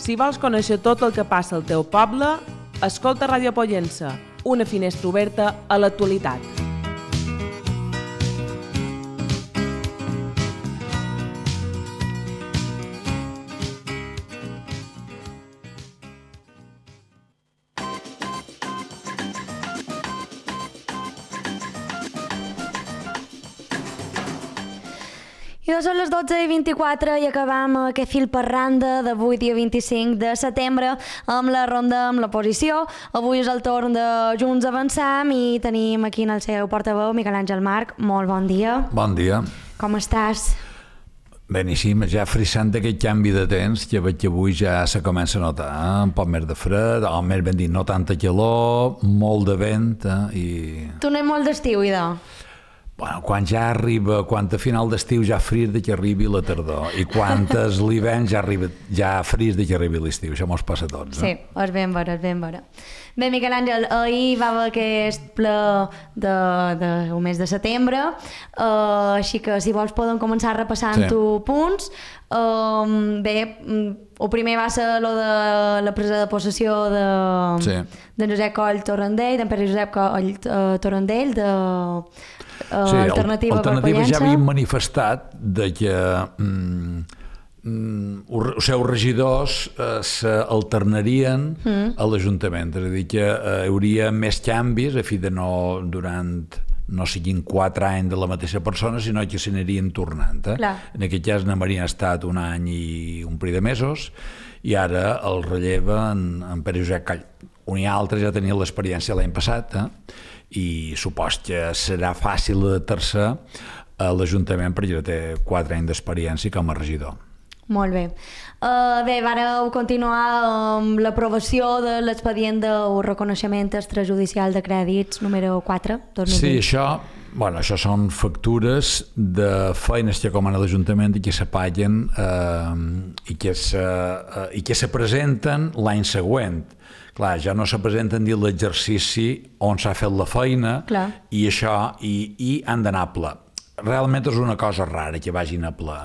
Si vols conèixer tot el que passa al teu poble, escolta Ràdio Pollença, una finestra oberta a l'actualitat. I són les 12:24 i acabam aquest fil per randa d'avui, dia 25 de setembre, amb la ronda amb l'oposició. Avui és el torn de Junts Avançam i tenim aquí en el seu portaveu, Miquel Àngel March. Molt bon dia. Bon dia. Com estàs? Beníssim, ja frissant d'aquest canvi de temps que veig que avui ja se comença a notar, un poc més de fred, o més ben dit, no tanta calor, molt de vent, i... Tu no hi molt d'estiu, idò? Bueno, quan ja arriba, quan a final d'estiu ja fris de que arribi la tardor i quan és l'hivern ja fris de que arribi l'estiu, això mos passa a tots. Sí, és ben vera, és ben vera. Bé, Miquel Àngel, ahir va haver aquest ple del mes de setembre, així que si vols podem començar repassant-ho punts. Bé, el primer va ser lo de la presa de possessió de Josep Coll Torrendell, d'en Pere Josep Coll Torrendell, Alternativa per Pollença. Ja havien manifestat de que els seus regidors s'alternarien a l'Ajuntament, és a dir, que hi hauria més canvis a fi de no durant no siguin 4 anys de la mateixa persona, sinó que s'anirien tornant. En aquest cas n'haurien estat un any i un parell de mesos i ara el relleva en Pere Josep Coll. Un i altre ja tenia l'experiència l'any passat, i supos que serà fàcil adaptar-se a l'Ajuntament perquè ja té 4 anys d'experiència com a regidor. Molt bé. Bé, vareu continuar amb l'aprovació de l'expedient del reconeixement extrajudicial de crèdits número 4, 2020. Sí, això són factures de feines que comana l'Ajuntament i que s'apaguen i que se presenten l'any següent. Clar, ja no se presenten dins l'exercici on s'ha fet la feina i això i han d'anar a ple. Realment és una cosa rara que vagin a ple.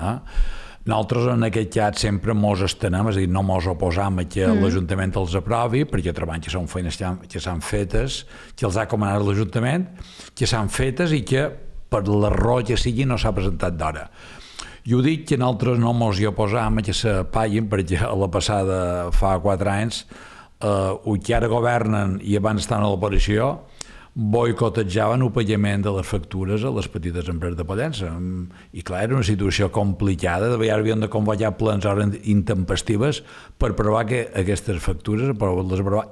Nosaltres en aquest cas sempre mos estenem, és a dir, no mos oposam a que l'Ajuntament els aprovi, perquè treballem que són feines que s'han fetes, que els ha comanat l'Ajuntament, que s'han fetes i que per l'error que sigui no s'ha presentat d'hora. Jo dic que nosaltres no mos hi oposam a que s'apaguin, perquè a la passada fa 4 anys que ara governen i abans estan a l'oposició boicotejjaven el pagament de les factures a les petites empreses de Pollença. I clar, era una situació complicada, de vegades havien de convocar plens hores intempestives per provar que aquestes factures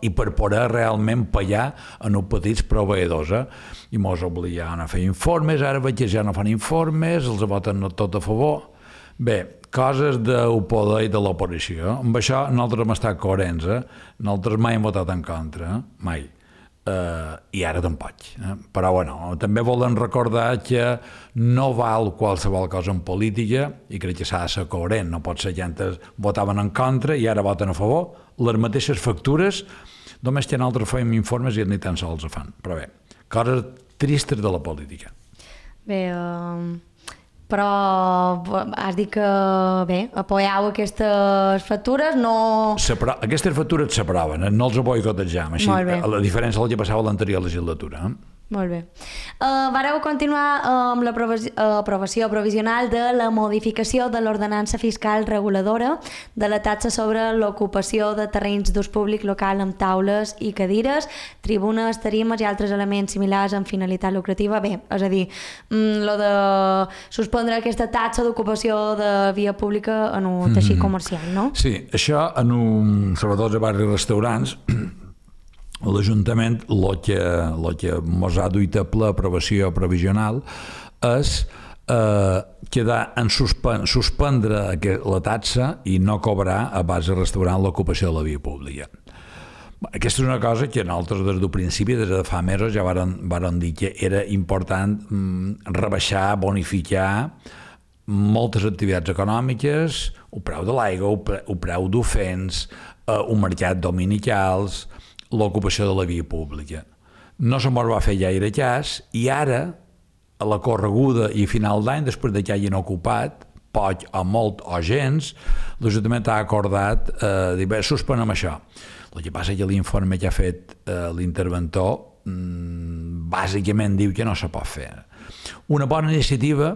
i per poder realment pagar en els petits proveïdors. I mos obligaven a fer informes, ara veig que ja no fan informes, els voten tot a favor. Bé, coses del poder i de l'oposició. Amb això nosaltres hem estat coherents. Nosaltres mai hem votat en contra, mai. I ara tampoc. Però bueno, també volen recordar que no val qualsevol cosa en política i crec que s'ha de ser coherent. No pot ser que antes votaven en contra i ara voten a favor. Les mateixes factures, només que nosaltres fèiem informes i ni tan sols ho fan. Però bé, coses tristes de la política. Bé, però has dit que, bé, apoyau aquestes factures, no... Aquestes factures s'aproven, no els boicotejam, així, a la diferència del que passava a l'anterior legislatura. Molt bé. Vareu continuar amb l'aprovació provisional de la modificació de l'ordenança fiscal reguladora de la taxa sobre l'ocupació de terrenys d'ús públic local amb taules i cadires, tribunes, tarimes i altres elements similars amb finalitat lucrativa. Bé, és a dir, lo de suspendre aquesta taxa d'ocupació de via pública en un teixit comercial, no? Sí, això sobretot a barris i restaurants, l'Ajuntament el que mos ha duit a ple aprovació provisional és quedar en suspendre la taxa i no cobrar a base de restaurant l'ocupació de la via pública. Aquesta és una cosa que nosaltres des del principi, des de fa mesos, ja vàrem dir que era important rebaixar, bonificar moltes activitats econòmiques, el preu de l'aigua, el preu d'ofens, un mercat dominicals, l'ocupació de la via pública. No se mos va fer gaire cas i ara, a la correguda i final d'any, després que hagin ocupat, poc o molt o gens, l'Ajuntament ha acordat dir, bé, suspenem això. El que passa és que l'informe que ha fet l'interventor bàsicament diu que no se pot fer. Una bona iniciativa,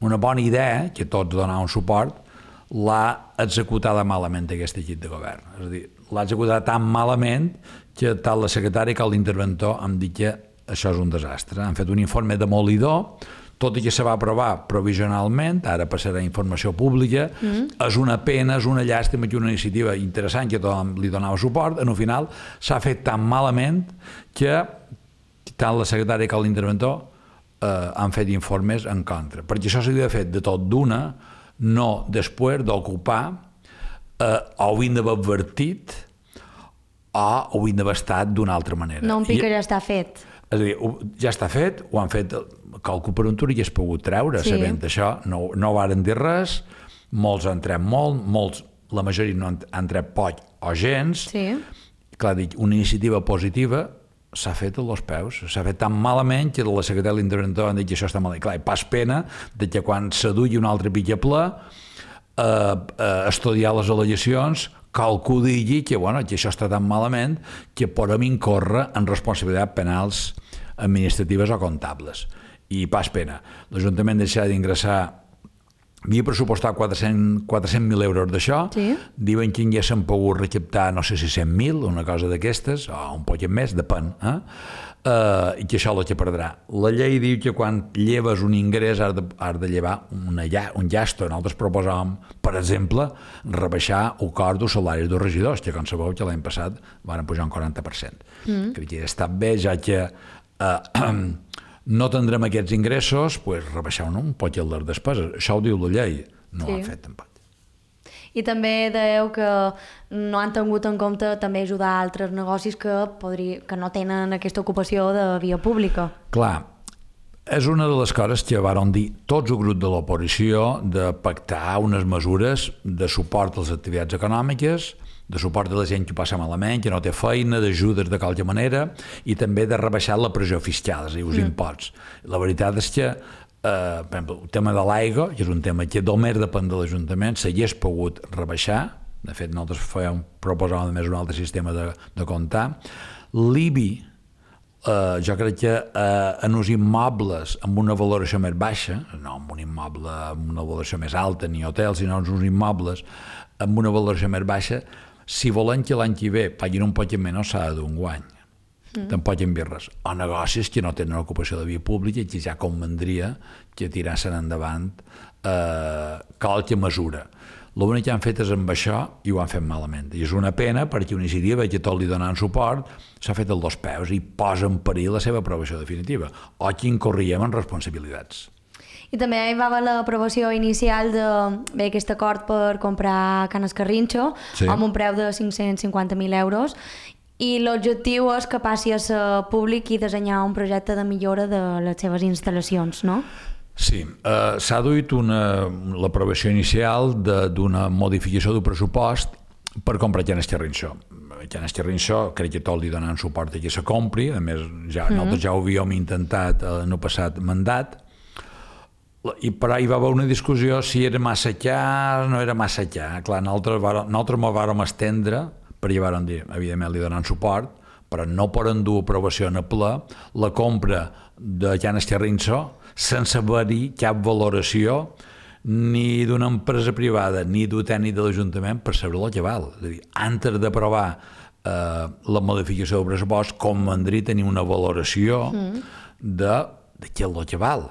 una bona idea, que tots donaven suport, l'ha executada malament aquest equip de govern. És a dir, l'ha executat tan malament que tant la secretària com l'interventor han dit que això és un desastre. Han fet un informe demolidor, tot i que se va aprovar provisionalment, ara passarà a informació pública, és una pena, és una llàstima, que una iniciativa interessant que tothom li donava suport, en el final s'ha fet tan malament que tant la secretària com l'interventor han fet informes en contra. Perquè això s'hauria fet de tot d'una, no després d'ocupar o havien d'haver advertit o havien d'haver estat d'una altra manera. No un pic que ja està fet. És a dir, ja està fet, ho han fet, calcul per un tur i que es pogut treure, sabent això, no varen dir res, molts han tret molt, molts, la majoria no han tret poc o gens. Clar, dic, una iniciativa positiva s'ha fet a los peus, s'ha fet tan malament que la secretària de l'interventor han dit que això està malament. Clar, i pas pena de que quan s'adugui un altre picaplà estudiar les al·legacions, qualcú digui que, bueno, que això està tan malament que podem incórrer en responsabilitats penals administratives o comptables. I pas pena. L'Ajuntament deixarà d'ingressar, havia pressupostat 400.000 euros d'això, diuen que ja s'han pogut recaptar, no sé si 100.000, una cosa d'aquestes, o un poc més, depèn, i que això és el que perdrà. La llei diu que quan lleves un ingrés has de llevar un llasto. Nosaltres proposàvem, per exemple, rebaixar el cost dels salaris dels regidors, que com sabeu que l'any passat van pujar un 40%. Crec que ha estat bé, ja que no tindrem aquests ingressos, doncs rebaixar un poc les despeses. Això ho diu la llei, no ho han fet tampoc. I també dèieu que no han tingut en compte també ajudar altres negocis que no tenen aquesta ocupació de via pública. Clar, és una de les coses que varen dir tots el grup de l'oposició de pactar unes mesures de suport a les activitats econòmiques, de suport a la gent que ho passa malament, que no té feina, d'ajudes de qualque manera, i també de rebaixar la pressió fiscal, és a dir, els imposts. La veritat és que, per exemple, el tema de l'aigua, que és un tema que només depèn de l'Ajuntament, s'hagués pogut rebaixar, de fet nosaltres proposàvem només un altre sistema de comptar. L'IBI, jo crec que en els immobles amb una valoració més baixa, no amb un immoble amb una valoració més alta, ni hotels, sinó en uns immobles amb una valoració més baixa, si volen que l'any que ve paguin un poc menys s'ha de dur un guany. Tampoc en birres. O negocis que no tenen ocupació de via pública i que ja convendria que tirassin endavant qualque mesura. L'únic que han fet és amb això i ho han fet malament. I és una pena perquè una iniciativa que tot li donen suport s'ha fet als dos peus i posa en perill la seva aprovació definitiva. O que incorriem en responsabilitats. I també hi va haver l'aprovació inicial d'aquest acord per comprar Can Escarrinxo amb un preu de 550.000 euros i l'objectiu és que passi a ser públic i dissenyar un projecte de millora de les seves instal·lacions, no? Sí, s'ha duit l'aprovació inicial d'una modificació del pressupost per comprar Can Escarrinxo. Can Escarrinxo crec que tot li donen suport que se compri, a més nosaltres ja ho havíem intentat en el passat mandat, i per ahí va haver una discussió si era massa car o no era massa car. Clar, nosaltres m'ho vàrem estendre perquè vàrem dir, evidentment li donen suport, però no poden dur aprovació en el ple la compra de Can Escarrinxo sense haver-hi cap valoració ni d'una empresa privada ni d'un tècnic de l'Ajuntament per saber el que val. És a dir, antes d'aprovar la modificació del pressupost convendria tenir una valoració de què és el que val.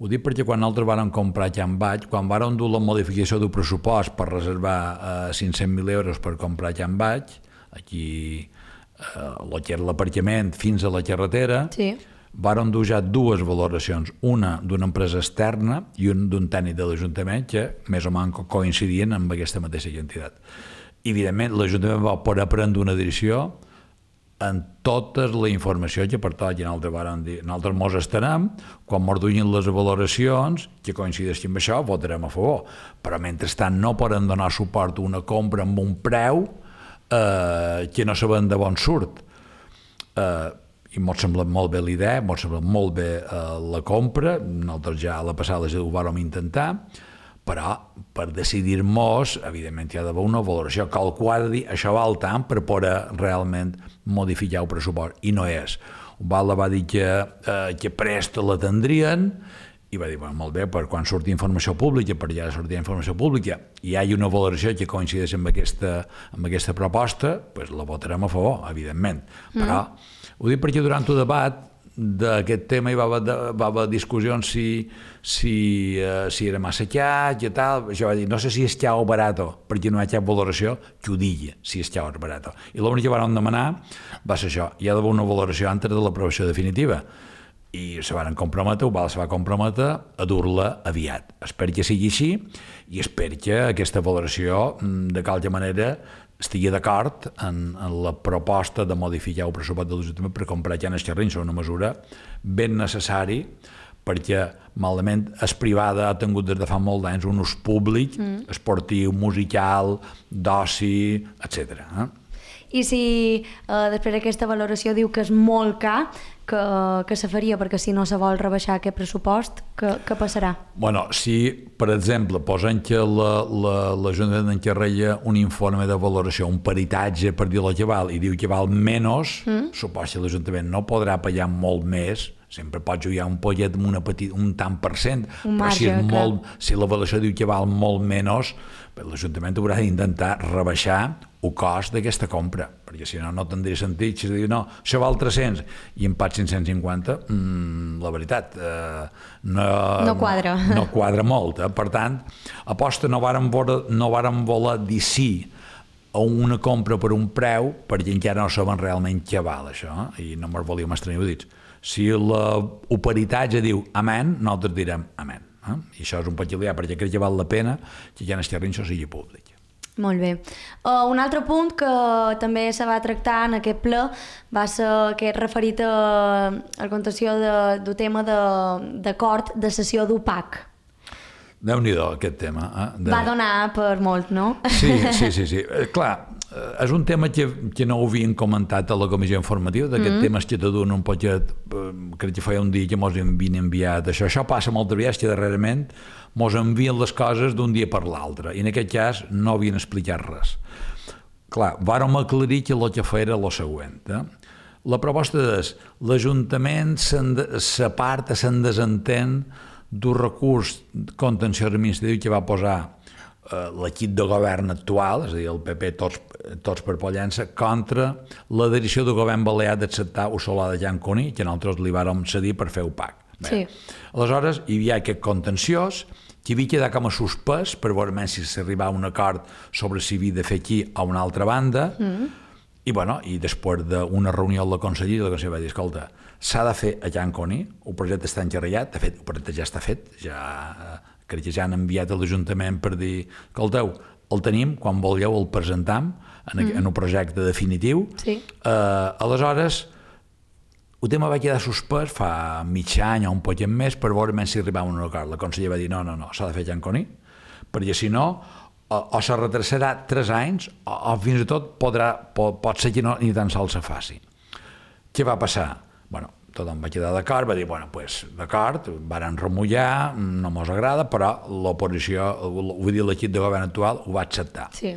Ho dic perquè quan nosaltres vàrem comprar Can Baix, quan vàrem dur la modificació del pressupost per reservar 500.000 euros per comprar Can Baix, aquí l'aparcament fins a la carretera, vàrem dur ja dues valoracions, una d'una empresa externa i una d'un tècnic de l'Ajuntament que més o menys coincidien amb aquesta mateixa quantitat. Evidentment, l'Ajuntament va poder prendre una decisió en tota la informació que pertoqui. Nosaltres mos estarem, quan mos duguin les valoracions, que coincideixin amb això, votarem a favor. Però mentrestant no poden donar suport a una compra amb un preu que no sabem de bon surt. I m'ha semblat molt bé l'idea, m'ha semblat molt bé la compra, nosaltres ja a la passada ho vàrem intentar, però per decidir-nos, evidentment, hi ha d'haver una valoració, qualcú ha de dir això val tant per poder realment modificar el pressupost, i no és. Ubalda va dir que presta l'atendrien, i va dir, bueno, molt bé, per quan surti informació pública, per ja sortir informació pública, i hi ha una valoració que coincideix amb aquesta proposta, doncs la votarem a favor, evidentment. Però ho dic perquè durant el debat d'aquest tema hi va haver discussions si era massa car, i tal. Jo vaig dir, no sé si és car o barato, perquè no hi ha cap valoració que ho digui, si és car o barato. I l'únic que vam demanar va ser això, hi ha d'haver una valoració antes de l'aprovació definitiva. I se van comprometre, se va comprometre a dur-la aviat. Espero que sigui així i espero que aquesta valoració de qualque manera estigui d'acord en la proposta de modificar el pressupost de l'Ajuntament per comprar llanes xerrins, una mesura ben necessari perquè malament és privada, ha tingut des de fa molt d'anys un ús públic, esportiu, musical, d'oci, etc. I si després d'aquesta valoració diu que és molt car, que se faria perquè si no se vol rebaixar aquest pressupost, què passarà? Bueno, si, per exemple, posem que l'Ajuntament encarrega un informe de valoració, un peritatge per dir-lo que val, i diu que val menys, suposo que l'Ajuntament no podrà pagar molt més, sempre pot jugar un pollet amb un tant per cent, però si la valoració diu que val molt menys, l'Ajuntament haurà d'intentar rebaixar el cost d'aquesta compra, perquè si no, no tindria sentit. Si es diu, no, això val 300 i em pat 550, la veritat, no quadra. No quadra molt. Per tant, aposta no vàrem voler dir sí a una compra per un preu, perquè encara no saben realment què val això, i no me'n volíem estranyar dits. Si l'operitatge diu amén, nosaltres direm amén. I això és un peculiar, perquè crec que val la pena que ja en este terreny això sigui públic. Molt bé. Un altre punt que també se va tractar en aquest ple va ser aquest referit a la contenció del tema d'acord de cessió d'UPAC. Déu-n'hi-do, aquest tema. Va donar per molt, no? Sí. Clar, és un tema que no ho havien comentat a la comissió informativa, d'aquest tema que te donen un poquet, crec que feia un dia que mos havien enviat això. Això passa moltes vegades que darrerament mos envien les coses d'un dia per l'altre, i en aquest cas no havien explicat res. Clar, vàrem aclarir que el que feia era el següent. La proposta és, l'Ajuntament s'aparta, se'n desentén d'un recurs contenciós administratiu que va posar l'equip de govern actual, és a dir, el PP, tots per Pollença, contra la decisió del govern balear d'acceptar el solar de Llanconi, que nosaltres li vàrem cedir per fer UPAC. Sí. Aleshores, hi havia aquest contenciós, que havia quedat com a suspès per veure si s'arribava a un acord sobre si havia de fer aquí a una altra banda, i després d'una reunió amb la conselleria, la conselleria va dir, escolta, s'ha de fer a Llanconi, el projecte està encarregat, de fet, el projecte ja està fet, crec que ja han enviat a l'Ajuntament per dir, escolteu, el tenim, quan vulgueu el presentam en un projecte definitiu. Sí. Aleshores, el tema va quedar suspès fa mig any o un poquet més per veure si arribava a un acord. La consellera va dir, no, s'ha de fer Llanconi, perquè si no, o se retrasarà 3 anys o fins i tot pot ser que no ni tan sols se faci. Què va passar? Bueno, tothom va quedar d'acord, va dir, d'acord, varen remullar, no mos agrada, però l'oposició, vull dir, l'equip de govern actual ho va acceptar. Sí.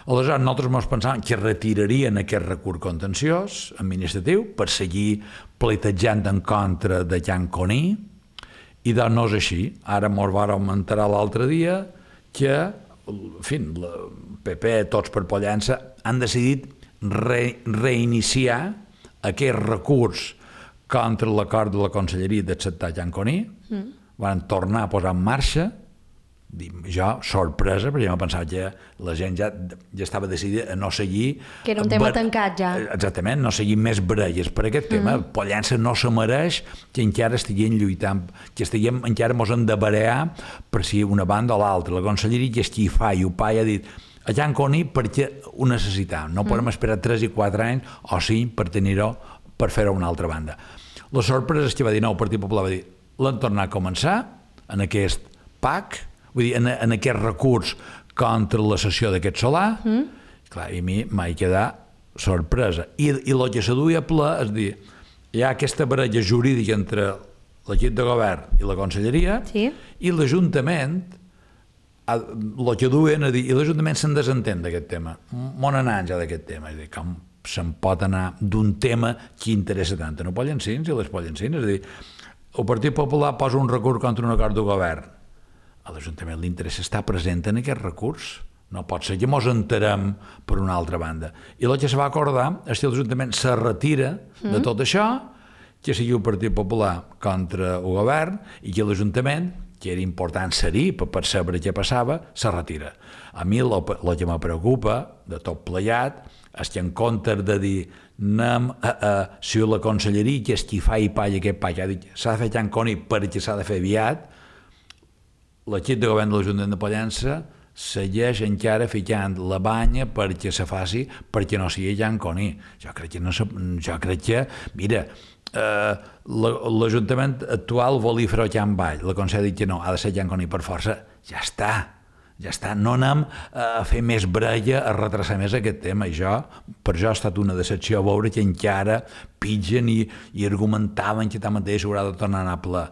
Aleshores, nosaltres ens pensàvem que retirarien aquest recurs contenciós administratiu per seguir pleitejant en contra de Llanconi, i doncs no és així. Ara ens vàrem enterar l'altre dia que, en fi, el PP, tots per Pollença, han decidit reiniciar aquest recurs contra l'acord de la conselleria d'acceptar Llanconi, van tornar a posar en marxa. Jo, sorpresa, perquè jo pensava que la gent ja estava decidida a no seguir... Que era un tema tancat ja. Exactament, no seguir més baralles per aquest tema. Pollença no se mereix que encara estiguem lluitant, que encara mos hem de barallar per si una banda o l'altra. La conselleria que estigui fa i ho ha dit a Llanconi perquè ho necessitam. No podem esperar 3 i 4 anys o 5 per tenir-ho, per fer-ho a una altra banda. La sorpresa és que va dir, no, el Partit Popular va dir, l'han tornat a començar en aquest PAC, vull dir, en aquest recurs contra la cessió d'aquest solar, clar, i a mi m'ha quedat sorpresa. I el que se duia a ple és dir, hi ha aquesta baralla jurídica entre l'equip de govern i la conselleria, sí, i l'Ajuntament el que duen a dir, i l'Ajuntament se'n desentén d'aquest tema, on anar ja d'aquest tema, és a dir, com se'n pot anar d'un tema que interessa tant a no Pollencins i les Pollencines, és a dir, el Partit Popular posa un recurs contra un acord de govern, a l'Ajuntament li interessa estar present en aquest recurs, no pot ser que mos enterem per una altra banda, i el que se va acordar és que l'Ajuntament se retira de tot això, que sigui el Partit Popular contra el govern i que l'Ajuntament, que era important ser-hi per saber què passava, se retira. A mi el que me preocupa de tot plegat és que en comptes de dir anem si la conselleria que és qui fa i palla aquest pa, que ha dit s'ha de fer Llanconi perquè s'ha de fer aviat, l'equip de govern de l'Ajuntament de Pollença segueix encara ficant la banya perquè se faci, perquè no sigui Llanconi. Jo crec que, mira, l'Ajuntament actual volia fer-ho Can Vall, la Consell ha dit que no, ha de ser Llanconi per força, ja està, no anem a fer més brella, a retrasar més aquest tema, i per això ha estat una decepció veure que encara pitgen i argumentaven que tanmateix s'haurà de tornar a anar a ple.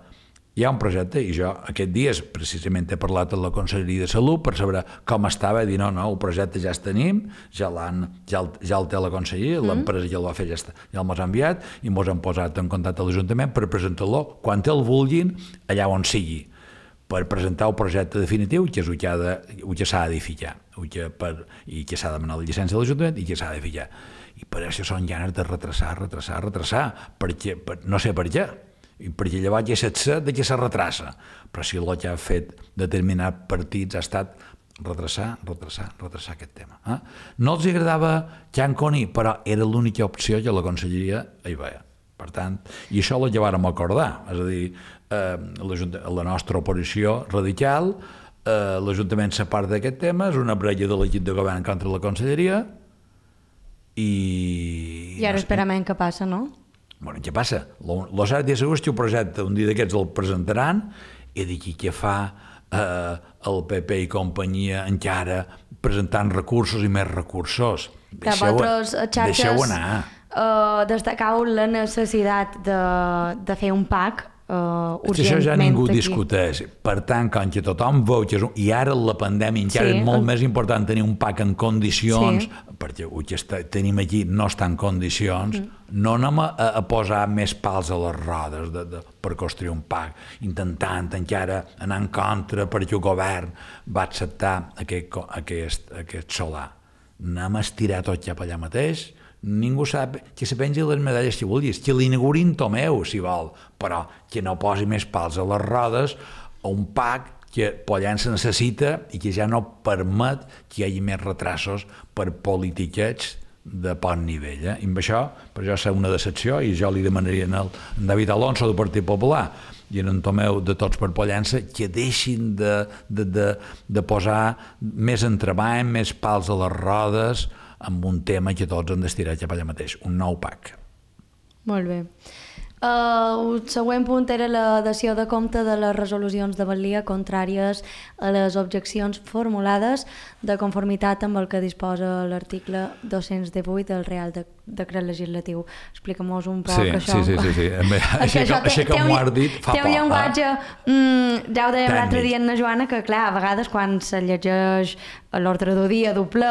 Hi ha un projecte, i jo aquest dies precisament he parlat amb la Conselleria de Salut per saber com estava, i dir no, el projecte ja el tenim, ja el té la Conselleria, l'empresa ja el va fer, ja el mos ha enviat, i mos han posat en contacte amb l'Ajuntament per presentar-lo quan el vulguin, allà on sigui, per presentar el projecte definitiu, que és el que s'ha d'edificar, i que s'ha de demanar la llicència de l'Ajuntament i que s'ha d'edificar. I per això són ganes de retrasar, perquè no sé per què, perquè llavors ja saps de què se retrassa, però si el que ha fet determinats partits ha estat retrasar aquest tema. No els agradava Llanconi, però era l'única opció que la Conselleria hi veia. Per tant, i això la vàrem acordar, és a dir, la nostra oposició radical, l'Ajuntament s'aparta d'aquest tema, és una brella de l'equip de govern contra la Conselleria, i ara esperem què passa, no? Bueno, què passa? Lo cert i segur és que el projecte un dia d'aquests el presentaran i d'aquí què fa el PP i companyia encara presentant recursos i més recursos. Deixeu anar. Destacau la necessitat de fer un PAC urgentment. Això ja ningú discuteix. Per tant, com que tothom veu que i ara la pandèmia encara és molt més important tenir un PAC en condicions, perquè el que tenim aquí no està en condicions, no anem a posar més pals a les rodes per construir un PAC, intentant encara anar en contra perquè el govern va acceptar aquest solar. Anem a estirar tot cap allà mateix. Ningú sap que se pengi les medalles si vulguis, que l'inaugurin Tomeu, si vol, però que no posi més pals a les rodes a un PAC que Pollença necessita i que ja no permet que hi hagi més retrasos per politiquets de poc nivell. I amb això, per això serà una decepció, i jo li demanaria al David Alonso del Partit Popular i en Tomeu de Tots per Pollença que deixin de posar més entreball, més pals a les rodes amb un tema que tots han d'estirar cap allà mateix, un nou PAC. Molt bé. El següent punt era la dació de compte de les resolucions de valia contràries a les objeccions formulades de conformitat amb el que disposa l'article 218 del Real Decret Legislatiu. Explica'm-nos un poc això. Sí. Així com ho has dit, fa té un llenguatge, ja ho dèiem l'altre dia en la Joana, que clar, a vegades quan se llegeix l'ordre del dia del ple,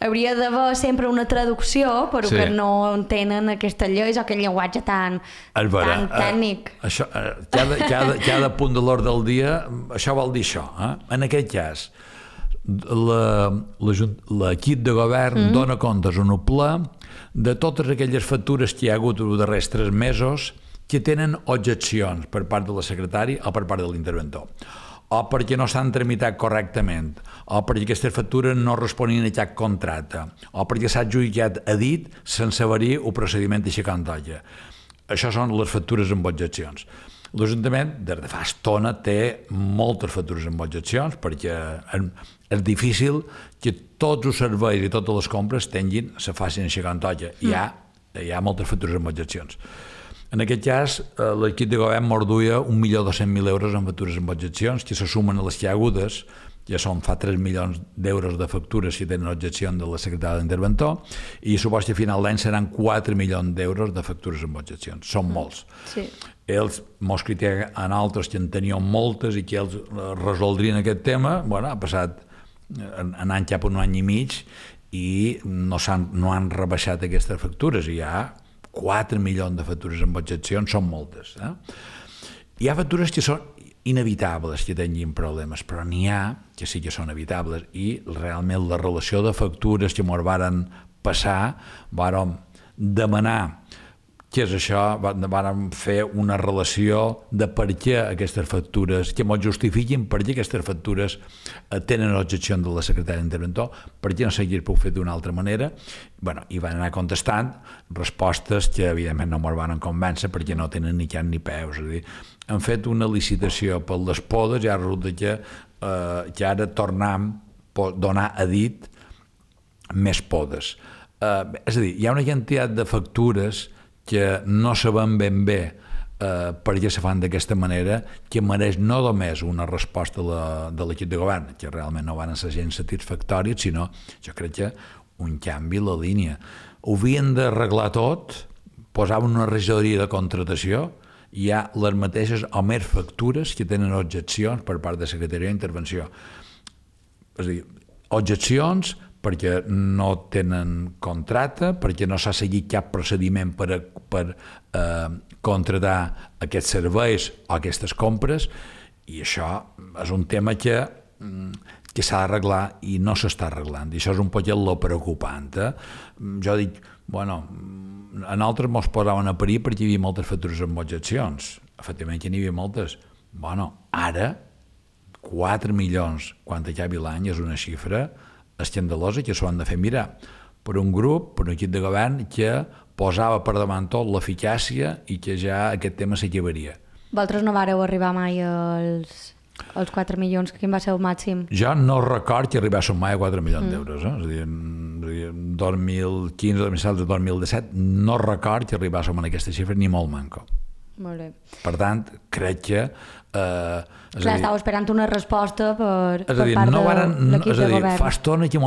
hauria d'haver sempre una traducció, però que no entenen aquestes lleis o aquest llenguatge tan tècnic. Cada punt de l'ordre del dia, això vol dir això. En aquest cas, l'equip de govern dona comptes en el ple de totes aquelles factures que hi ha hagut els darrers 3 mesos que tenen objeccions per part de la secretària o per part de l'interventor, o perquè no s'han tramitat correctament, o perquè aquestes factures no responien a cap contracte, o perquè s'ha adjudicat a dit sense haver-hi el procediment així com toca. Això són les factures amb objeccions. L'Ajuntament, des de fa estona, té moltes factures amb objeccions perquè és difícil que tots els serveis i totes les compres se facin així com toca. Hi ha moltes factures amb objeccions. En aquest cas, l'equip de govern morduia 1.200.000 euros en factures amb objeccions, que se sumen a les que hi ha hagudes ja són fa 3 milions d'euros de factures si tenen objecció de la secretària d'interventor, i suposo que a final d'any seran 4 milions d'euros de factures amb objeccions. Són molts. Sí. Ells mos critiquen a altres que en tenien moltes i que ells resoldrien aquest tema. Bueno, ha passat anant cap a un any i mig i no han rebaixat aquestes factures. Hi ha 4 milions de factures amb objeccions, són moltes. Hi ha factures que són inevitables que tinguin problemes, però n'hi ha que sí que són evitables, i realment la relació de factures que ens varen passar, vàrem demanar què és això, vàrem fer una relació de per què aquestes factures, que ens justifiquin per què aquestes factures tenen objecció de la secretària d'interventor, per què no s'hagués pogut fer d'una altra manera. Bueno, i van anar contestant respostes que evidentment no ens van convèncer perquè no tenen ni cap ni peus. És a dir, han fet una licitació per les podes i ara resulta que ara tornem a donar a dit més podes. És a dir, hi ha una quantitat de factures que no sabem ben bé per què se fan d'aquesta manera, que mereix no només una resposta de l'equip de govern, que realment no van ser gens satisfactòries, sinó, jo crec que un canvi a la línia. Ho havien d'arreglar tot, posaven una regidoria de contratació, hi ha les mateixes o més factures que tenen objeccions per part de Secretaria d'Intervenció. És a dir, objeccions perquè no tenen contracte, perquè no s'ha seguit cap procediment per contratar aquests serveis o aquestes compres, i això és un tema que s'ha d'arreglar i no s'està arreglant, i això és un poquet lo preocupant. Jo dic, bueno, a nosaltres mos posaven a parir perquè hi havia moltes factures amb objeccions, efectivament que n'hi havia moltes. Bueno, ara 4 milions quan acabi l'any és una xifra escandalosa que s'ho han de fer mirar per un grup, per un equip de govern que posava per davant tot l'eficàcia i que ja aquest tema s'acabaria. Vosaltres no vareu arribar mai als 4 milions, quin va ser el màxim? Jo no record que arribéssim mai a 4 milions d'euros. És a dir, 2015, 2016, 2017, no record que arribéssim a aquesta xifra ni molt manco. Molt bé. Per tant, crec que... Clar, estàveu esperant una resposta per part de l'equip de govern. Fa estona que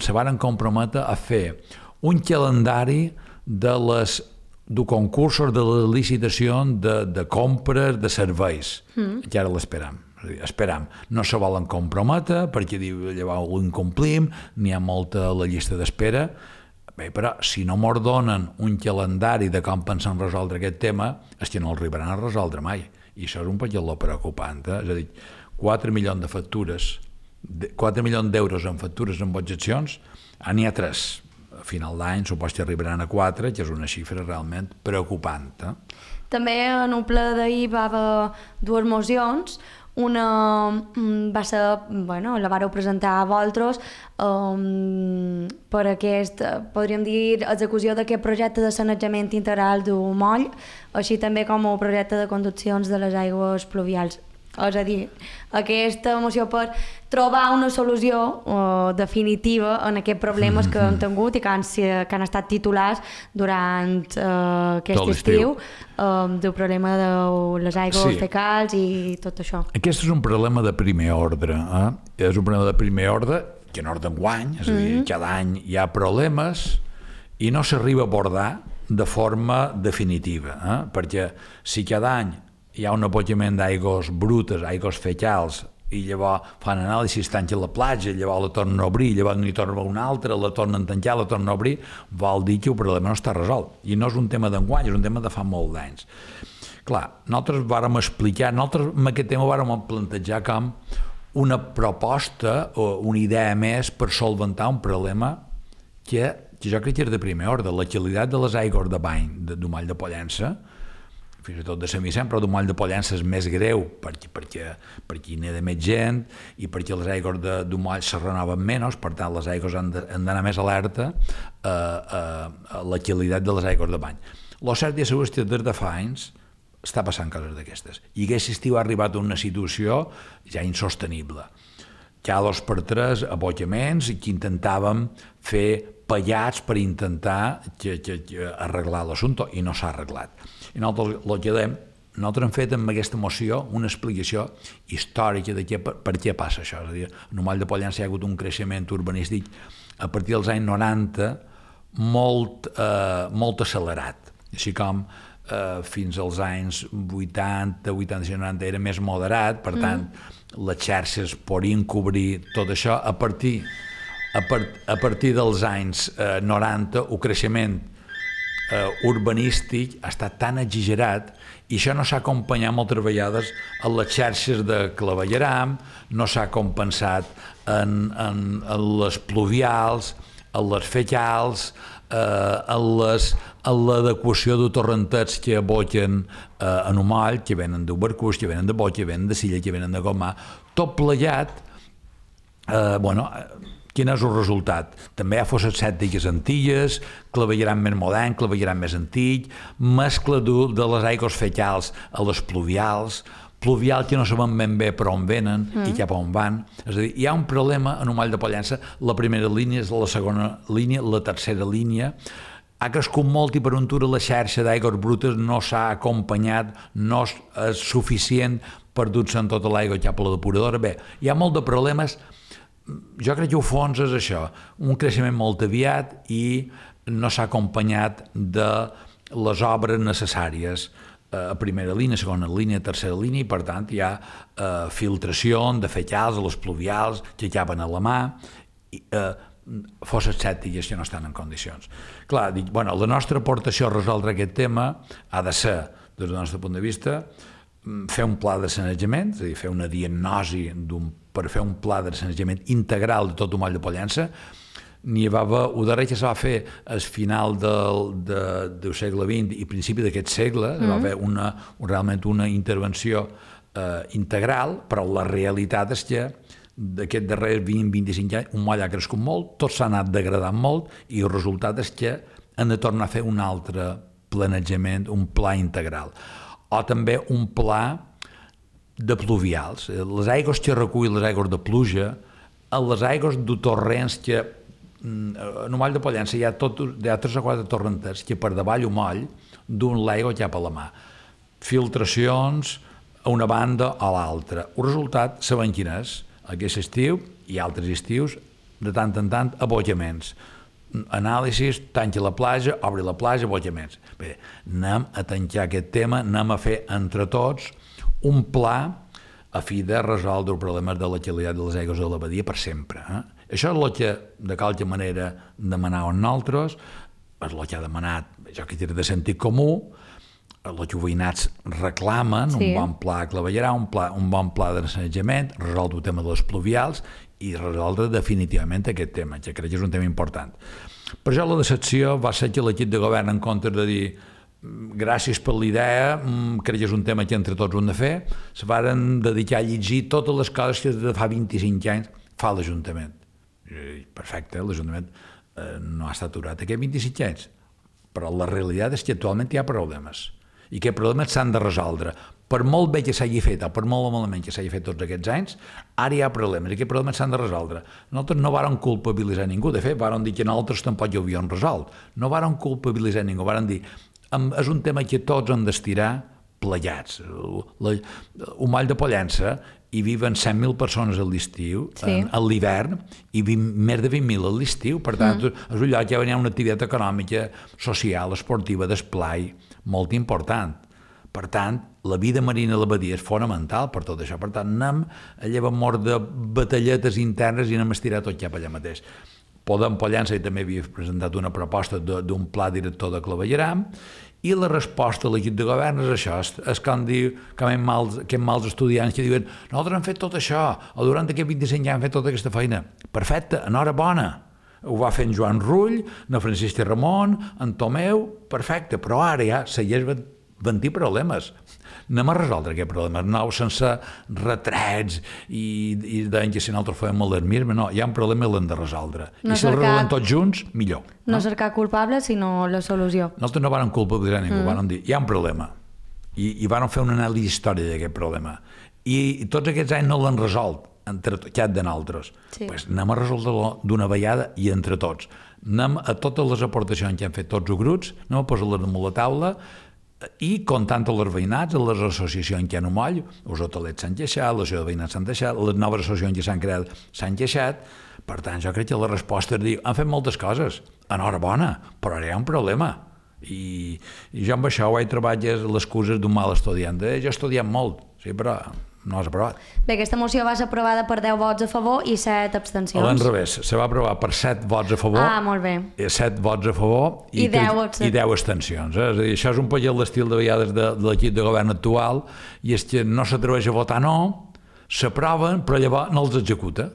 se varen comprometre a fer un calendari de concursos, de la licitació de compres de serveis, que ara l'esperam. Esperam, no se volen comprometre perquè llavors ho incomplim, n'hi ha molta a la llista d'espera. Bé, però si no mos donen un calendari de com pensen resoldre aquest tema, és que no el arribaran a resoldre mai. I això és un poquet preocupant. És a dir, 4 milions de factures, 4 milions d'euros en factures amb objeccions, n'hi ha 3. A final d'any suposo que arribaran a 4, que és una xifra realment preocupant. També en un ple d'ahir va haver 2 mocions. Una va ser, la vareu presentar a vosaltres per aquest, podríem dir, execució d'aquest projecte de sanejament integral d'un moll, així també com el projecte de conduccions de les aigües pluvials. És a dir, aquesta moció per trobar una solució definitiva en aquests problemes que hem tingut i que han estat titulars durant aquest estiu, del problema de les aigües fecals i tot això. Aquest és un problema de primer ordre. És un problema de primer ordre que no és d'enguany, és a dir, cada any hi ha problemes i no s'arriba a abordar de forma definitiva, perquè si cada any hi ha un abocament d'aigües brutes, aigües fecals, i llavors fan anàlisis, tanquen la platja, llavors la tornen a obrir, llavors n'hi torna una altra, la tornen a tancar, la tornen a obrir, vol dir que el problema no està resolt. I no és un tema d'enguany, és un tema de fa molt d'anys. Clar, nosaltres vàrem explicar, nosaltres amb aquest tema vàrem plantejar com una proposta o una idea més per solventar un problema que jo crec que és de primer ordre. La qualitat de les aigües de bany d'un moll de Pollença, fins i tot de Sant Vicent, però d'un moll de Pollença és més greu perquè hi n'hi més gent i perquè les aigües d'un moll se renoven menys, per tant les aigües han d'anar més alerta a la qualitat de les aigües de bany. El cert és que des de fa anys està passant coses d'aquestes i aquest estiu ha arribat a una situació ja insostenible. Cada 2 per 3 abocaments que intentàvem fer pallats per intentar arreglar l'assumpte i no s'ha arreglat. I nosaltres el que dèiem, nosaltres hem fet amb aquesta moció una explicació històrica de per què passa això. És a dir, en Moll de Pollença hi ha hagut un creixement urbanístic a partir dels anys 90 molt accelerat, així com fins als anys 80, 85, 90 era més moderat, per tant, les xarxes podien cobrir tot això. A partir dels anys 90, el creixement urbanístic ha estat tan exagerat i això no s'ha acompanyat moltes vegades a les xarxes de clavegueram, no s'ha compensat en les pluvials, en les fecals, en l'adequació de torrentets que aboquen en un moll, que venen de Barcús, que venen de Boig, que venen de Silla, que venen de Gomà, tot plegat. Quin és el resultat? També hi ha fosses sèptiques antigues, clavegueram més modern, clavegueram més antic, mescla de les aigües fecals a les pluvials que no sabem ben bé per on venen i cap on van. És a dir, hi ha un problema en Moll de Pollença. La primera línia és la segona línia, la tercera línia. Ha crescut molt i per un tur la xarxa d'aigües brutes no s'ha acompanyat, no és suficient per dur-se en tota l'aigua cap a la depuradora. Bé, hi ha molt de problemes. Jo crec que al fons és això, un creixement molt aviat i no s'ha acompanyat de les obres necessàries a primera línia, segona línia, tercera línia, i per tant hi ha filtració de fecals a les pluvials que acaben a la mà, fosses sèptiques que no estan en condicions. Clar, dic, la nostra aportació a resoldre aquest tema ha de ser, des del nostre punt de vista, fer un pla de sanejament, és a dir, fer una diagnosi per fer un pla de sanejament integral de tot el Moll de Pollença. El darrer que se va fer al final del segle XX i principi d'aquest segle, va haver realment una intervenció integral, però la realitat és que d'aquest darrers 20-25 anys un moll ha crescut molt, tot s'ha anat degradant molt i el resultat és que han de tornar a fer un altre planejament, un pla integral. O també un pla de pluvials. Les aigües que recull les aigües de pluja, les aigües de torrents que en Moll de Pollença hi ha 3 o 4 torrenters que per davall o moll duen l'aigua cap a la mà. Filtracions a una banda o a l'altra. El resultat, sabem quin és. Aquest estiu i altres estius, de tant en tant, abocaments. Anàlisis, tanca la platja, obri la platja, abocaments. Bé, anem a tancar aquest tema, anem a fer entre tots un pla a fi de resoldre els problemes de la qualitat de les aigües de la badia per sempre. Això és el que, de qualque manera, demanàvem nosaltres, és el que ha demanat, jo que tira de sentit comú, el que els veïnats reclamen, un bon pla a claveguerar, un bon pla de sanejament, resoldre el tema de les pluvials i resoldre definitivament aquest tema, que crec que és un tema important. Per això la decepció va ser que l'equip de govern, en comptes de dir gràcies per l'idea, crec que és un tema que entre tots ho hem de fer, se varen dedicar a llegir totes les coses que de fa 25 anys fa l'Ajuntament. Perfecte, l'Ajuntament no ha estat aturat aquests 25 anys, però la realitat és que actualment hi ha problemes i que problemes s'han de resoldre. Per molt bé que s'hagi fet o per molt malament que s'hagi fet tots aquests anys, ara hi ha problemes i aquests problemes s'han de resoldre. Nosaltres no vàrem culpabilitzar ningú, de fet, vàrem dir que nosaltres tampoc ho havíem resolt. No vàrem culpabilitzar ningú, vàrem dir és un tema que tots hem d'estirar plegats. Un Moll de Pollença hi viven 100.000 persones a l'estiu, a l'hivern, i més de 20.000 a l'estiu. Per tant, és un lloc que hi ha una activitat econòmica, social, esportiva, d'esplai, molt important. Per tant, la vida marina a la badia és fonamental per tot això. Per tant, anem a llevar mort de batalletes internes i anem a estirar tot cap allà mateix. Podem Pollença també havia presentat una proposta d'un pla director de clavegueram i la resposta a l'equip de govern és això, és com diu que aquests mals estudiants que diuen nosaltres hem fet tot això, o durant aquests 25 anys hem fet tota aquesta feina. Perfecte, enhorabona. Ho va fer en Joan Rull, en Francisc Ramon, en Tomeu, perfecte, però ara ja segueix 20 problemes. Anem a resoldre aquest problema, no sense retrets i deien que si nosaltres fèiem alarmisme, no, hi ha un problema i l'hem de resoldre. I si el resolem tots junts, millor. No cercar culpables, sinó la solució. Nosaltres no vàrem culpabilitzar ningú, vàrem dir, hi ha un problema. I vàrem fer una anàlisi històrica d'aquest problema. I tots aquests anys no l'han resolt, entre cap de nosaltres. Pues anem a resoldre-lo d'una vegada i entre tots. Anem a totes les aportacions que han fet tots els grups, anem a posar-les damunt la taula i comptant amb els veïnats, les associacions que hi ha un moll, els hotelets s'han queixat, les associacions de veïnats s'han queixat, les noves associacions que s'han creat s'han queixat. Per tant, jo crec que la resposta és dir, han fet moltes coses, enhorabona, però ara hi ha un problema. I jo amb això ho he trobat les excuses d'un mal estudiant. Jo he estudiat molt, sí, però no has aprovat. Bé, aquesta moció va ser aprovada per 10 vots a favor i 7 abstencions. A l'enrevés, se va aprovar per 7 vots a favor, 7 vots a favor i 10 abstencions. És a dir, això és un poc l'estil de vegades de l'equip de govern actual, i és que no s'atreveix a votar no, s'aproven, però llavors no els executa.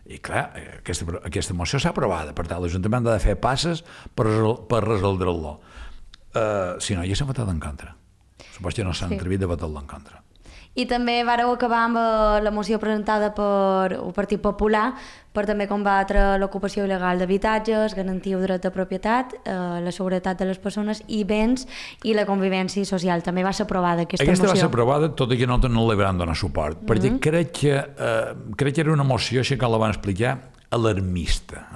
I clar, aquesta moció s'ha aprovada, per tant l'Ajuntament ha de fer passes per resoldre-lo. Si no, ja s'ha votat en contra. Suposo que no s'han atrevit a votar-lo en contra. I també vareu acabar amb la moció presentada per el Partit Popular per també combatre l'ocupació il·legal d'habitatges, garantir el dret de propietat, la seguretat de les persones i béns i la convivència social. També va ser aprovada aquesta moció. Aquesta va ser aprovada, tot i que nosaltres no li vam donar suport, perquè crec que era una moció, així que la van explicar, alarmista.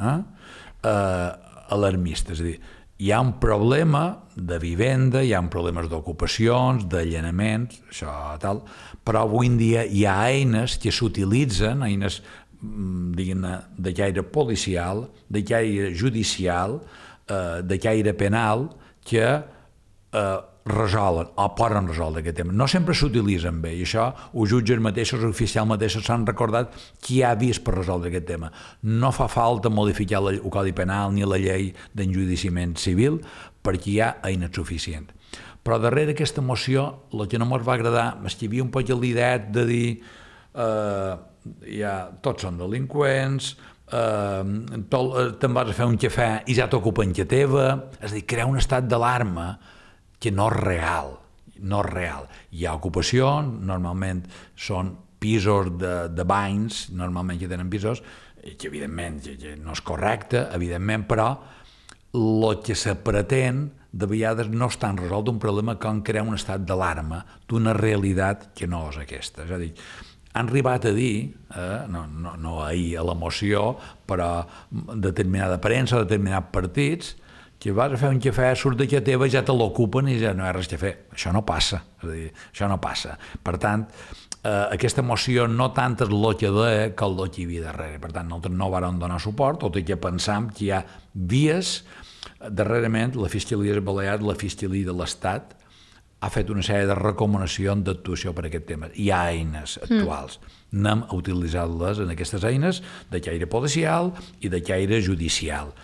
Alarmista, és a dir, hi ha un problema de vivenda, hi ha problemes d'ocupacions, d'allenaments, això tal, però avui en dia hi ha eines que s'utilitzen, eines de caire policial, de caire judicial, de caire penal, que resolen o poden resoldre aquest tema. No sempre s'utilitzen bé, i això els jutges mateixos, els oficials mateixos s'han recordat qui ha vist per resoldre aquest tema. No fa falta modificar el Codi Penal ni la llei d'enjudiciament civil perquè hi ha eines suficients. Però darrere aquesta moció el que no ens va agradar és que hi havia un poc l'idea de dir tots són delinqüents, te'n vas a fer un cafè i ja t'ocupen que teva, és a dir, crear un estat d'alarma que no és real, no és real. Hi ha ocupació, normalment són pisos de banys, normalment que tenen pisos, que evidentment no és correcte, evidentment, però el que se pretén de vegades no és tan resolt un problema com crear un estat d'alarma d'una realitat que no és aquesta. És a dir, han arribat a dir, no ahir a la moció, però determinada premsa, determinats partits, que vas a fer un cafè, surt de casa teva, ja te l'ocupen i ja no hi ha res a fer. Això no passa. És a dir, això no passa. Per tant, aquesta moció no tant és el que deia que el que hi havia darrere. Per tant, nosaltres no vàrem donar suport, tot i que pensam que hi ha vies. Darrerament, la Fiscalia de Balears, la Fiscalia de l'Estat, ha fet una sèrie de recomanacions d'actuació per aquest tema. Hi ha eines actuals. Anem a utilitzar-les en aquestes eines de caire policial i de caire judicial.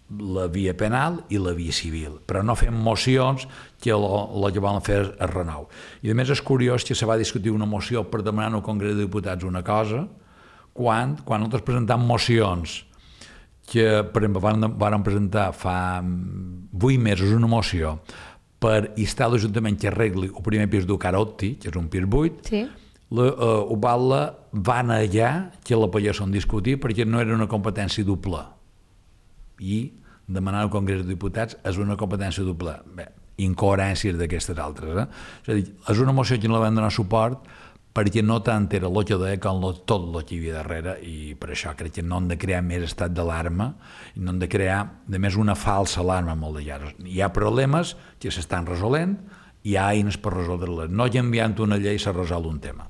La via penal i la via civil, però no fem mocions que el que volen fer és renou. I a més és curiós que se va discutir una moció per demanar al Congrés de Diputats una cosa, quan nosaltres presentam mocions que, per exemple, van presentar fa 8 mesos una moció per instar l'Ajuntament que arregli el primer pis d'Ucarotti, que és un pis buit, Ubala va negar que la poguessin discutir perquè no era una competència doble. I demanar al Congrés de Diputats és una competència doble. Bé, incoherències d'aquestes altres. És a dir, és una moció que no la vam donar suport perquè no tant era el que deia com tot el que hi havia darrere, i per això crec que no hem de crear més estat d'alarma i no hem de crear, de més, una falsa alarma molt de llarg. Hi ha problemes que s'estan resolent, hi ha eines per resoldre-les. No enviant una llei s'ha resolt un tema.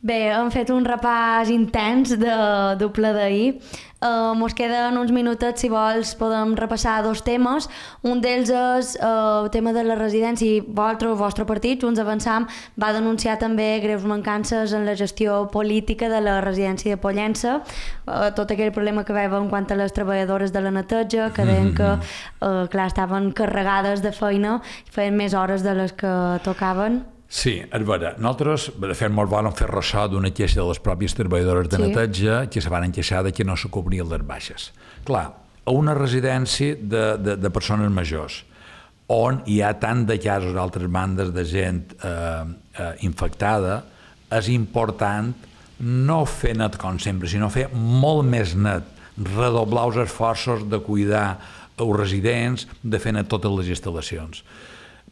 Bé, hem fet un repàs intens del ple d'ahir. Mos queden uns minutets, si vols, podem repassar 2 temes. Un d'ells és el tema de la residència. El vostre partit, Junts Avançam, va denunciar també greus mancances en la gestió política de la residència de Pollença. Tot aquell problema que veiem quant a les treballadores de la neteja, que deien que clar, estaven carregades de feina i feien més hores de les que tocaven. Sí, és vera. Nosaltres, de fet, ens vam fer ressò d'una queixa de les pròpies treballadores de neteja que se van queixar que no se cobrien les baixes. Clar, a una residència de persones majors, on hi ha tant de casos d'altres bandes de gent infectada, és important no fer net com sempre, sinó fer molt més net, redoblar els esforços de cuidar els residents, de fer net totes les instal·lacions.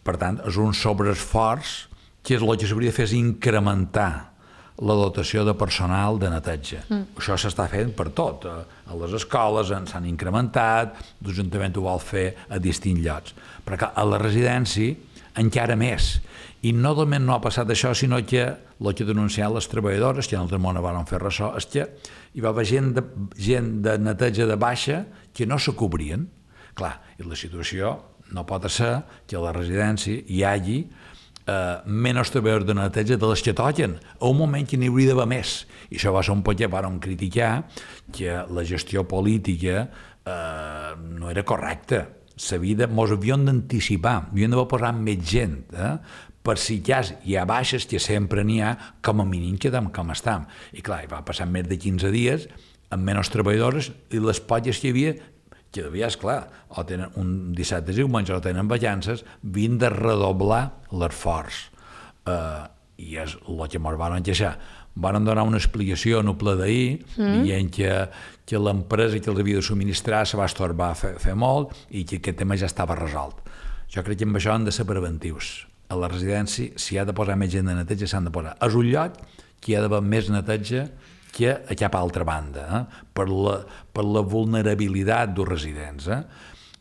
Per tant, és un sobreesforç que és el que s'hauria de fer és incrementar la dotació de personal de neteja. Això s'està fent per tot. A les escoles s'han incrementat, l'Ajuntament ho vol fer a distints llocs. Però a la residència encara més. I no només no ha passat això, sinó que el que denunciaven les treballadores, que en altre món van fer ressò, és que hi va haver gent de neteja de baixa que no se cobrien. Clar, i la situació no pot ser que a la residència hi hagi menys treballadors de neteja de les que toquen, a un moment que n'hi hauria d'haver més. I això va ser un poc que vàrem criticar que la gestió política no era correcta. Mos havíem d'anticipar, havíem d'haver posat més gent, per si hi ha baixes, que sempre n'hi ha, com a mínim quedem com estem. I clar, va passar més de 15 dies amb menys treballadors i les poques que hi havia, que devies, clar, o tenen un dissabte i diumenge o tenen vacances, havien de redoblar l'esforç. I és el que ens van queixar. Van donar una explicació en el ple d'ahir, dient que l'empresa que els havia de subministrar se va estorbar a fer molt i que aquest tema ja estava resolt. Jo crec que amb això han de ser preventius. A la residència, si hi ha de posar més gent de neteja, s'han de posar. És un lloc que hi ha d'haver més neteja que a cap altra banda, per la vulnerabilitat dels residents.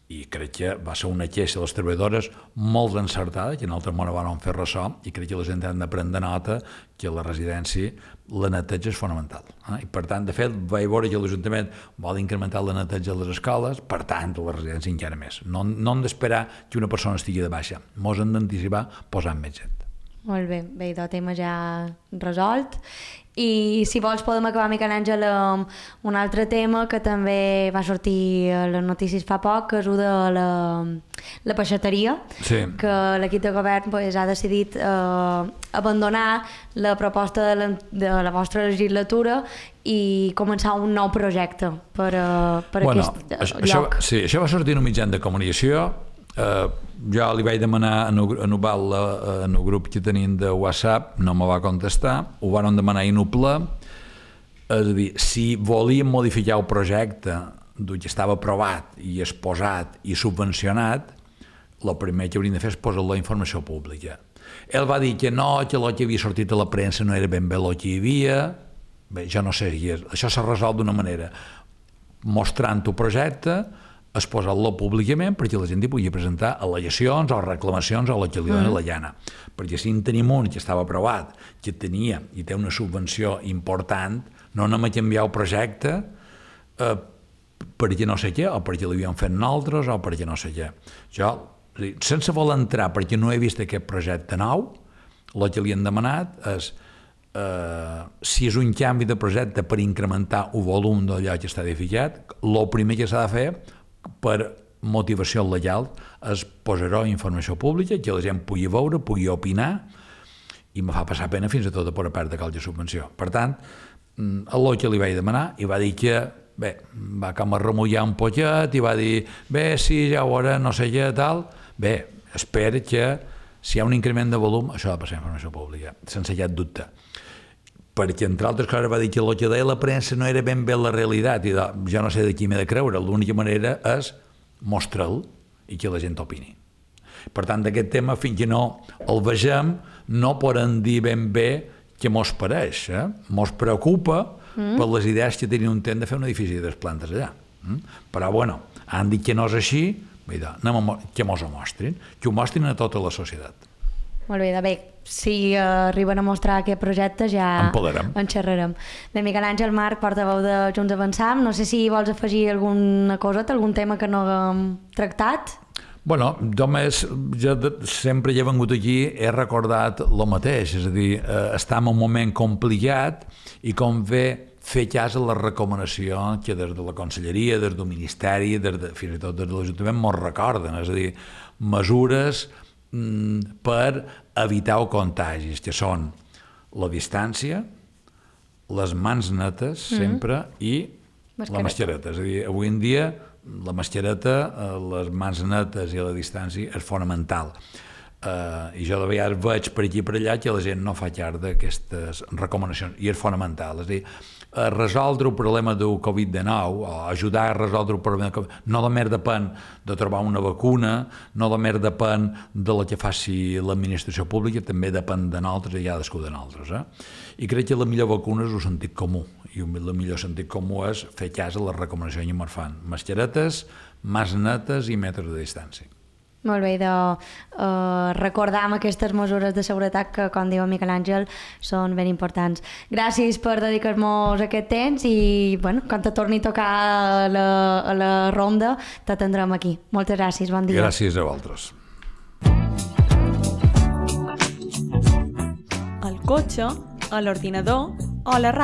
I crec que va ser una queixa de les treballadores molt encertada, que en altre món van fer ressò, i crec que la gent han de prendre nota que a la residència la neteja és fonamental. I per tant, de fet, vaig veure que l'Ajuntament vol incrementar la neteja de les escoles, per tant, a la residència encara més. No hem d'esperar que una persona estigui de baixa, mos hem d'anticipar posant més gent. Molt bé, el tema ja resolt. I si vols podem acabar, Miquel Àngel, amb un altre tema que també va sortir a les notícies fa poc, que és el de la peixateria, que l'equip de govern ha decidit abandonar la proposta de la vostra legislatura i començar un nou projecte per aquest lloc. Sí, això va sortir en un mitjà de comunicació. Jo li vaig demanar a Nuval en el grup que tenim de WhatsApp, no me va contestar, ho van demanar a ple, és a dir, si volíem modificar el projecte que estava aprovat i exposat i subvencionat, el primer que hauríem de fer és posar la informació pública. Ell va dir que no, que el que havia sortit a la premsa no era ben bé el que hi havia. Bé, jo no sé, això s'ha resolt d'una manera, mostrant el projecte, exposar-lo públicament perquè la gent hi pugui presentar al·legacions o reclamacions a la que li dona la llana. Perquè si en tenim un que estava aprovat, que tenia i té una subvenció important, no anem a canviar el projecte perquè no sé què, o perquè l'havíem fet nosaltres, o perquè no sé què. Jo, sense voler entrar, perquè no he vist aquest projecte nou, el que li han demanat és si és un canvi de projecte per incrementar el volum d'allò que està edificat, el primer que s'ha de fer per motivació legal és posar-ho a informació pública, que la gent pugui veure, pugui opinar, i me fa passar pena fins a tot per perdre qualque subvenció. Per tant, el que li vaig demanar, i va dir que, bé, va com a remullar un poquet, i va dir, bé, sí, ja ho veurà, no sé què, tal. Bé, espero que si hi ha un increment de volum, això ha de passar a informació pública, sense cap dubte. Perquè, entre altres coses, va dir que el que deia la premsa no era ben bé la realitat, i jo no sé de qui m'he de creure, l'única manera és mostrar-lo i que la gent opini. Per tant, d'aquest tema, fins que no el vegem, no podem dir ben bé què mos pareix. Mos preocupa per les idees que tenien un temps de fer un edifici de plantes allà. Però, bueno, han dit que no és així, que mos ho mostrin, que ho mostrin a tota la societat. Molt bé, si arriben a mostrar aquest projecte ja en xerrarem. Bé, Miquel Àngel Marc, portaveu de Junts Avançam, no sé si vols afegir alguna coseta, algun tema que no haguem tractat? Bueno, només jo sempre he vengut aquí, he recordat el mateix, és a dir, estem en un moment complicat i com fer cas a la recomanació que des de la Conselleria, des del Ministeri, fins i tot des de l'Ajuntament mos recorden, és a dir, mesures per evitar els contagis, que són la distància, les mans netes sempre i la mascareta. És a dir, avui en dia la mascareta, les mans netes i la distància és fonamental. I jo de vegades veig per aquí i per allà que la gent no fa cas d'aquestes recomanacions i és fonamental. És a dir, resoldre el problema del Covid-19 o ajudar a resoldre el problema del Covid-19 no només depèn de trobar una vacuna, no només depèn de la que faci l'administració pública, també depèn de nosaltres i cadascú de nosaltres. I crec que la millor vacuna és el sentit comú, i el millor sentit comú és fer cas a les recomanacions que ens fan. Mascaretes, mans netes i metres de distància. Molt bé, de recordar amb aquestes mesures de seguretat que, com diu Miquel Àngel, són ben importants. Gràcies per dedicar-nos aquest temps i, bueno, quan te torni a tocar a la ronda, t'atendrem aquí. Moltes gràcies, bon dia. Gràcies a vosaltres. Al cotxe, a l'ordinador o a la ràdio.